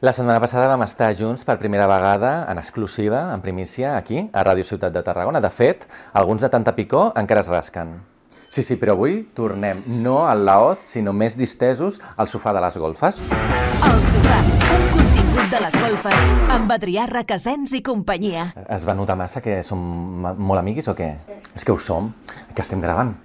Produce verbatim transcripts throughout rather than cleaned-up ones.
La setmana passada vam estar junts per primera vegada, en exclusiva, en primícia, aquí, a Ràdio Ciutat de Tarragona. De fet, alguns de tanta picor encara es rasquen. Sí, sí, però avui tornem no al Laoz, sinó més distesos al sofà de les golfes. El sofà, un contingut de les golfes, amb Adrià Requesens i companyia. Es va notar massa que som molt amiguis o què? És que ho som, que estem gravant.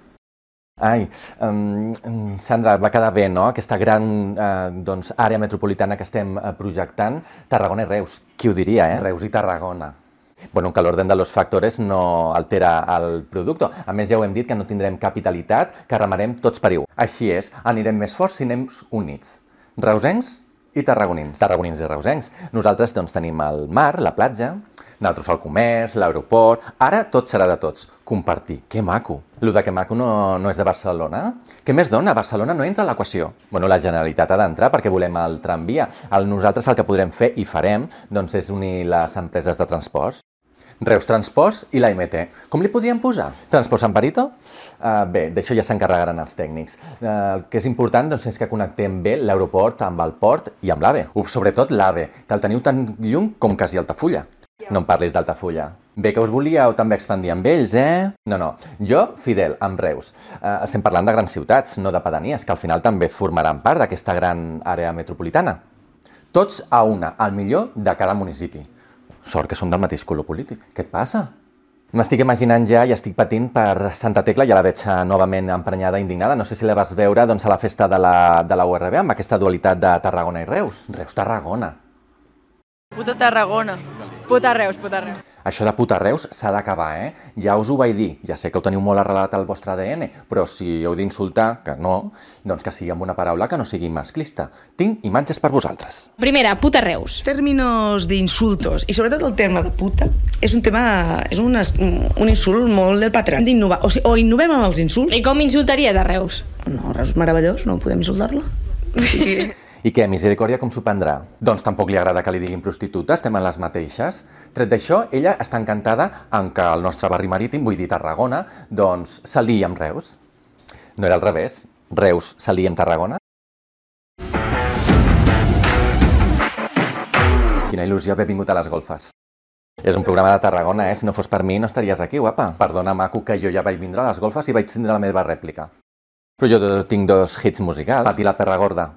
Ai, um, Sandra, va quedar bé, no?, aquesta gran eh, doncs, àrea metropolitana que estem eh, projectant, Tarragona i Reus. Qui ho diria, eh? Reus i Tarragona. Bueno, que l'orden de los factores no altera el producte. A més, ja ho hem dit, que no tindrem capitalitat, que remarem tots per igual. Així és, anirem més forts si anem units. Reusencs i tarragonins. Tarragonins i reusencs. Nosaltres doncs, tenim el mar, la platja, nosaltres el comerç, l'aeroport... Ara tot serà de tots. Compartir. Que maco. Lo de que maco no, no és de Barcelona. Què més dona? Barcelona no entra a l'equació. Bueno, la Generalitat ha d'entrar perquè volem el tramvia. El, nosaltres el que podrem fer i farem doncs, és unir les empreses de transports. Reus Transports i la M T. Com li podríem posar? Transports en Perito? Uh, bé, d'això ja s'encarregaran els tècnics. Uh, el que és important doncs, és que connectem bé l'aeroport amb el port i amb l'AVE. Uh, sobretot l'AVE, que el teniu tan lluny com quasi Altafulla. No em parlis d'Altafulla. Bé que us volíeu també expandir amb ells, eh? No, no. Jo, fidel, amb Reus. Uh, estem parlant de grans ciutats, no de pedanies, que al final també formaran part d'aquesta gran àrea metropolitana. Tots a una, al millor de cada municipi. Sort que som del mateix color polític. Què et passa? M'estic imaginant ja i estic patint per Santa Tecla, ja la veig novament emprenyada i indignada. No sé si la vas veure doncs, a la festa de la, de la U R B amb aquesta dualitat de Tarragona i Reus. Reus-Tarragona. Puta Tarragona. Puta Reus, puta Reus. Això de puta Reus s'ha d'acabar, eh? Ja us ho vaig dir, ja sé que ho teniu molt arrelat al vostre A D N, però si heu d'insultar, que no, doncs que sigui amb una paraula que no sigui masclista. Tinc imatges per vosaltres. Primera, puta Reus. Términos d'insultos, i sobretot el terme de puta, és un tema, és un, un insult molt del patriarcat. Hem d'innovar, o, sigui, o innovem amb els insults. I com insultaries a Reus? No, Reus és meravellós, no podem insultar-la. Sí. I què, Misericòrdia, com s'ho prendrà? Doncs tampoc li agrada que li diguin prostituta, estem en les mateixes. Tret d'això, ella està encantada en que el nostre barri marítim, vull dir Tarragona, doncs s'aliï amb Reus. No era al revés? Reus s'aliï amb Tarragona? Quina il·lusió haver vingut a les golfes. És un programa de Tarragona, eh? Si no fos per mi no estaries aquí, guapa. Perdona, maco, que jo ja vaig vindre a les golfes i vaig tindre la meva rèplica. Però jo tinc dos hits musicals. Pati la perra gorda.